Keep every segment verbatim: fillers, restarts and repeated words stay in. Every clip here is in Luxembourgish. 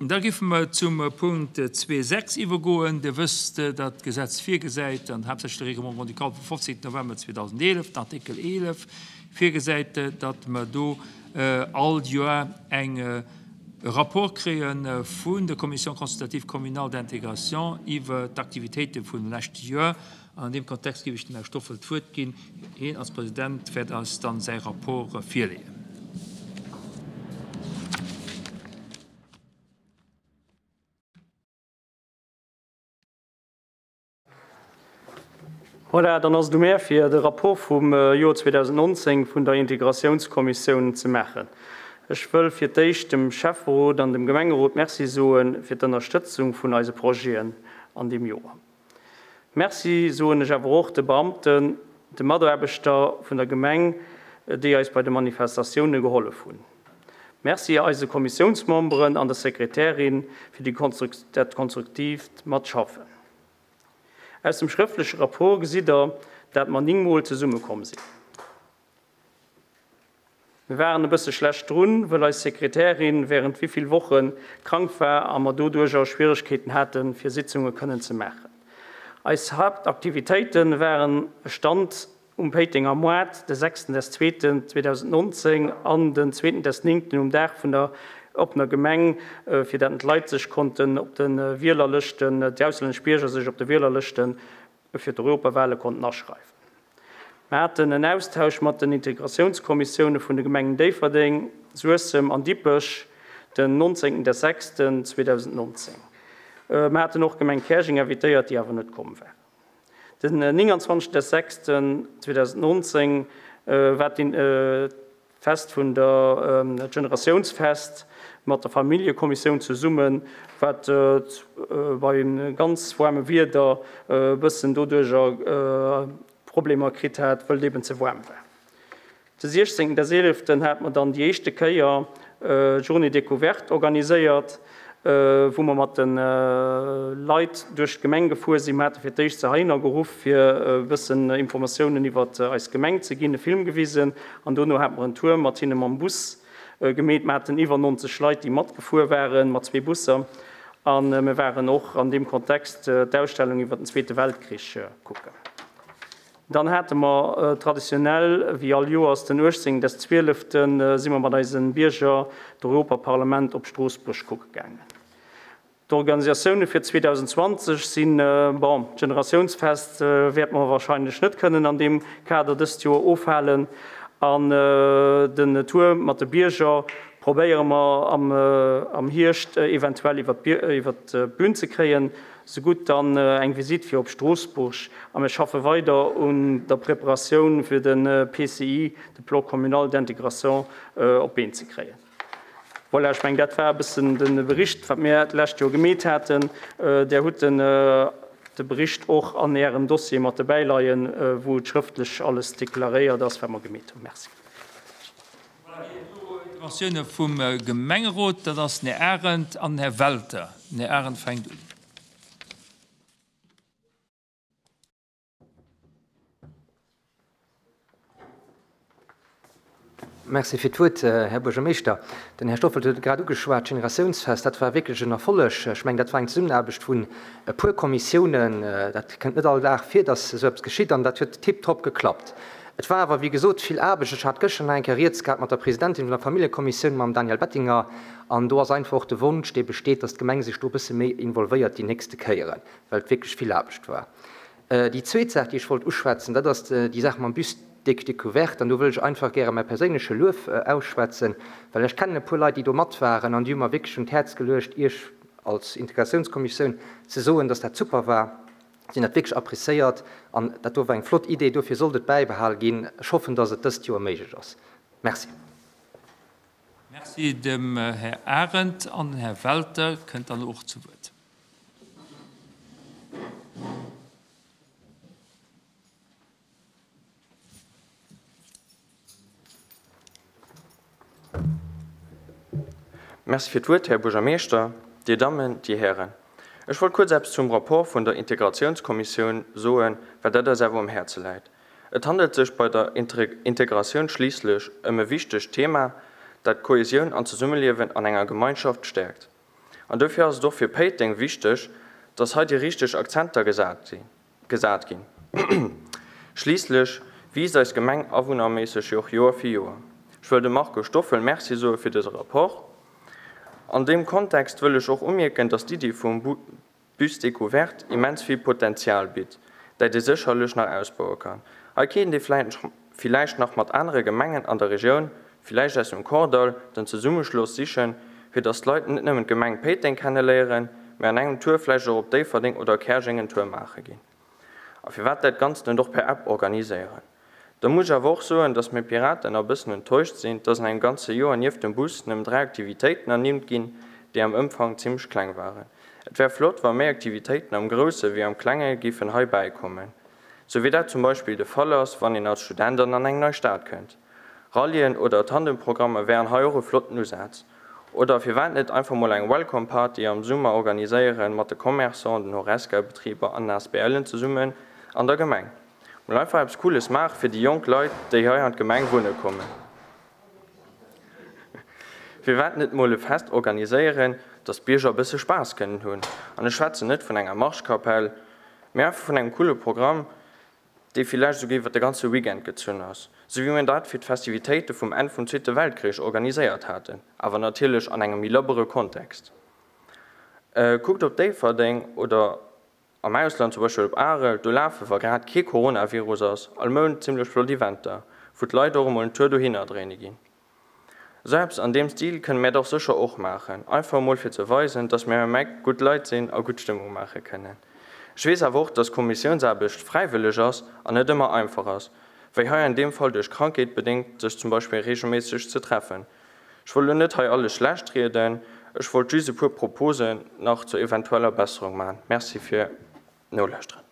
Da géife mer zum Punkt zwee sechs iwwergoen. Dir wësst, datt d'Gesetz virgesäit, an haaptsächlech de Règlement grand-ducal vum fofzéngten November zweedausendeelef, den Artikel eelef, virgesäit, datt mer do all Joer eng e Rapport kréie vun der Commission consultative communale d'intégration iwwer d'Aktivitéite vum leschte Joer. An an deem Kontext géif ech dem Här Stoffel d'Wuert ginn. Hien als President wäert eis dann säi Rapport virleeën. Voilà, dann ass et u mär, fir de Rapport vum Joer zweedausendnonzéng vun der Integratiounskommissioun ze maachen. Ech wëll fir d'éischt dem Schäfferot an dem Gemengerot Merci soe fir d'Ënnerstëtzung vun eise Projeten an deem Joer. Merci soen ech awer och de Beamten, de Mataarbechter vun der Gemeng, déi eis bei de Manifestatioune gehollef hunn. Merci eise Kommissiounsmemberen an der Sekretärin fir déi dat konstruktiivt Matschaffen. Aus dem schrëftleche Rapport gesitt der, dat mer néng Mol zesummekomm sinn. Mir waren e bësse schlecht drun, wëll eis Sekretärin während wéivill Woche krank war a mer doduercher Schwieregkeeten haten, fir Sitzunge kënnen ze maachen. Eis Haaptaktivitéite waren e Stand um Péitenger Moart de sechsten des zweeten zweedausendnonzéng an den zweeten des néngten um Dag vun der oppener Gemeng, fir dat d'Leit sech konnten op de Wielerlëschten, déi auslännesch Bierger sech op de Wielerlëschten fir d'Europawale konnten aschreiwen. Mer haten en Austausch mat den Integratiounskommissioune vun de Gemengen Déifferdeng, Suessem an Dippech den nonzéngten des sechsten zweedausendnonzéng. Mer haten och d'Gemeng Käerjeng invitéiert, déi awer net komm war. Den nénganzwanzegsten des sechsten zweedausendnonzéng war d'Fest vun der Generatiounsfest mat der Familljekommissioun zesummen, wat bei ganz waarme Wieder e bëssen doduercher Problemer kritt hat, wëll et eben ze waarm war. De siechzéngten des eeleften hat mer dann déi éischte Kéier d'Journée découverte organiséiert, wou mer mat de Leit duerch d'Gemeng gefuer sinn. Mer hate fir d'éischt se heihinner geruff, fir e bëssen Informatiounen iwwer eis Gemeng ze ginn, e Film gewisen an dono hate mer en Tour mat hinne mam Bus gemeet. Mer haten iwwer nonzeg Leit, déi matgefuer waren, mat zwee Busser a mir waren och an deem Kontext d'Ausstellung iwwer den Zweete Weltkrich kucken. Dann hate mer traditionell, wéi all Joers, den uechtzéngten des zwieleften si mer mat eise Bierger d'Europaparlament op Stroossbuerg kucke gaangen. D'Organisatioune fir zweedausendzwanzeg sinn, bon, d'Generatiounsfest wäerte mer wahrscheinlech net kënnen an deem Kader dëst Joer ofhalen an den Tour mat de Bierger probéiere mer am Hierscht eventuell iwwer d'Bün ze kréien. Sougutt dann eng Visite fir op Stroossbuerg a mir schaffe weider un der Preparatioun fir de P C I, de Plan communal d'intégration, op d'Been ze kréien. Voilà, ech mengen, dat war e bëssen de Bericht, wat mir d'lescht Joer gemeet haten. Där hutt den de Bericht och an Ärem Dossier mat dobäi leien, wou et schrëftlech alles deklaréiert ass, wat mer gemeet hunn. Merci. Voilà, Interventioune vum Gemengerot, dat ass den Här Arendt an den Här Welter. Den Här Arendt fänkt un. Merci fir d'Wuert, Här Buergermeeschter. Den Här Stoffel huet et grad ugeschwat, d'Generatiounsfest, dat war wierklech en Erfolleg. Ech mengen, dat war eng Zesummenaarbecht vun e puer Kommissiounen. Dat kënnt net all Dag vir, dass esou eppes geschitt, an dat huet tiptop geklappt. Et war awer, wéi gesot, vill Aarbecht. Ech hat gëschter nach eng Kéier rieds gehat mat der Presidentin vun der Familljekommissioun, mam Daniel Bettinger, an do ass einfach och de Wonsch, dee besteet, dass d'Gemeng sech do e bësse méi involvéiert déi nächste Kéieren, well et wierklech vill Aarbecht war. Déi zweet Saach, déi ech wollt uschwätzen, dat ass déi Saach mam Bus découverte. An do wëll ech einfach gäre mäi perséinleche Luef ausschwätzen, well ech kennen e puer Leit, déi do mat waren, an déi hu mer wierklech un d'Häerz geluecht, Iech als Integratiounskommissioun ze soen, dass dat super war. Si hunn dat wierklech appréciéiert an dat do war eng flott Idee. Dofir sollt et bäibehal ginn. Ech hoffen, dass et dëst Joer méiglech ass. Merci. Merci dem Här Arendt. An den Här Welter kënnt dann och zu Wuert. Merci fir d'Wuert, Här Buergermeeschter, Dir Dammen, Dir Hären. Ech wollt kuerz eppes zum Rapport vun der Integratiounskommissioun soen, well dat eis awer um Häerze läit. Et handelt sech bei der Integratioun schliisslech ëm e wichtegt Thema, dat d'Kohesioun an d'Zesummeliewen an enger Gemeinschaft stäerkt. An dofir ass et och fir Péiteng wichteg, dass hei déi richteg Akzenter gesat sinn, gesat ginn. Schliisslech wiisst eis Gemeng awunnerméisseg jo och Joer fir Joer. Ech wëll dem Marco Stoffel Merci soe fir dëse Rapport. An deem Kontext wëll ech och umierken, dass d'Iddi vum Bus découverte immens vill Potenzial bitt, dat ee sécherlech nach ausbaue kann. Hei kéint ee villäicht nach mat anere Gemengen an der Regioun, villäicht aus dem Kordall, den Zesummeschloss sichen, fir dass d'Leit net nëmmen d'Gemeng Péiteng kenneléieren, mä an engem Tour vläicht och op Déifferdeng oder Käerjeng en Tour maache ginn. A firwat dat Ganzt net och per App organiséieren? Da muss ech awer och soen, dass mir Piraten e bëssen enttäuscht sinn, dass an engem ganze Joer nieft dem Bus nëmmen dräi Aktivitéiten ernimmt ginn, déi am Ëmfang zimmlech kleng waren. Et wär flott, wa méi Aktivitéiten am Grousse wéi am Klenge géifen hei bäikommen. Sou wéi dat zum Beispill de Fall ass, wann een als Student an an eng nei Stad kënnt. Rallyen oder Tandemprogrammer wären hei och e flotten Usaz. Oder firwat net einfach mol eng Welcome Party am Summer organiséieren mat de Commerçanten, den Horesca-Betriber an den ASBLen zesummen an der Gemeng. Mol einfach eppes Cooles maache fir déi jonk Leit, déi hei an d'Gemeng wunne kommen. Firwat net mol e Fest organiséieren, dass d'Bierger e bësse Spaass kënnen hunn? An ech schwätzen net vun enger Marschkapell, mee einfach vun engem coole Programm, dee villäicht esouguer iwwer de ganze Weekend gezunn ass, sou wéi mir dat fir d'Festivitéite vum Enn vum Zweete Weltkrich organiséiert haten, awer natierlech an engem méi labbere Kontext. Kuckt op Déifferdeng oder am Ausland, zum Beispill op Arel, do lafe, wa grad kee Coronavirus ass, all Mount zimmlech flott Eventer, wou d'Leit och emol en Tour dohinner dréine ginn. Esou eppes an deem Stil kënne mär dach sécher och maachen, einfach emol fir ze weisen, dass mär am Eck gutt Leit sinn a gutt Stëmmung maache kënnen. Ech weess awer och, dass Kommissiounsaarbecht fräiwëlleg ass an net ëmmer einfach ass, wéi hei an deem Fall duerch Krankheet bedéngt, sech zum Beispill reegelméisseg ze treffen. Ech wollt elo net hei alles schlecht rieden, ech wollt just e puer Proposen nach zur eventueller Besserung maachen. Merci fir d'Nolauschteren.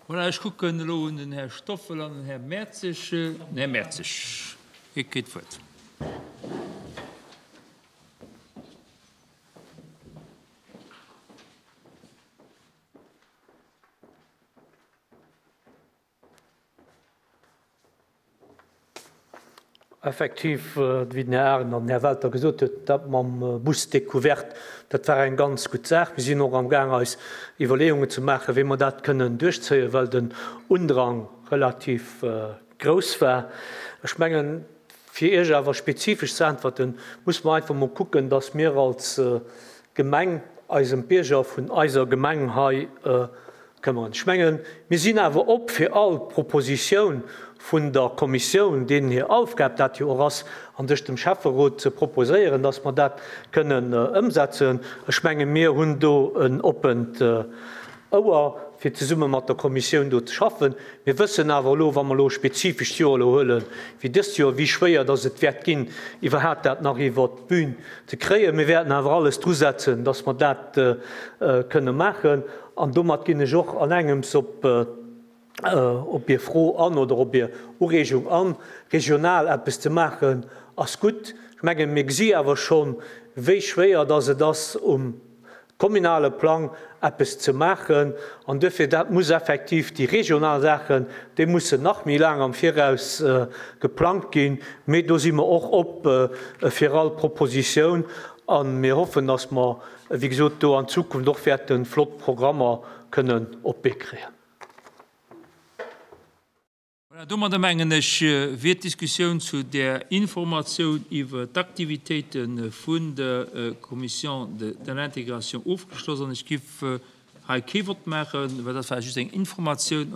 Voilà, ech kucken elo un den Här Stoffel an den Här Mertzig. Den Här Mertzig, Dir kritt d'Wuert. Effektiv, wéi den Här Arendt an den Här Welter gesot huet, dat mam Bus découverte, dat war eng ganz gutt Saach. Mir sinn och amgaang eis Iwwerleeungen ze maachen, wéi mer dat kënnen duerchzéien, well den Undrang relativ grouss war. Ech mengen, fir Iech awer spezifesch ze äntwerten, muss mer einfach mol kucken, dass mir als Gemeng eis ëm d'Bierger vun eiser Gemeng hei këmmeren. Ech mengen, mir sinn awer op fir all Propositioun vun der Kommissioun, deenen hir Aufgab dat jo och ass, an sech dem Schäfferot ze proposéieren, dass mer dat kënnen ëmsetzen. Ech mengen, mir hunn do en oppent Ouer, fir zesumme mat der Kommissioun do ze schaffen. Mir wëssen awer elo, wa mer elo e spezifescht Joer elo huelen, wéi dëst Joer, wéi schwéier dass et wäert ginn, iwwerhaapt dat nach iwwert d'Bün ze kréien. Mir wäerten awer alles drusetzen, dass mer dat kënne maachen. An domat ginn ech och an engems op op Är Fro an oder op Är Ureegung an. Regional eppes ze maachen ass gutt. Ech mengen, mir gesi awer schonn, wéi schwéier dass et ass, um kommunale Plang eppes ze maachen. An duerfir, dat muss effektiv, déi regional Saachen, déi mussen nach méi laang am Viraus geplangt ginn. Mee do si mer och op fir all Propositioun a mir hoffen, dass mer, wéi gesot, do an Zukunft och wäerte flott Programmer kënnen op d'Bee kréien. Voilà, domadder mengen ech, wier d'Diskussioun zu där Informatioun iwwer d'Aktivitéite vun der Commission de l'Intégration ofgeschloss an ech giff hei kee Vott maachen, well dat war just eng Informatioun.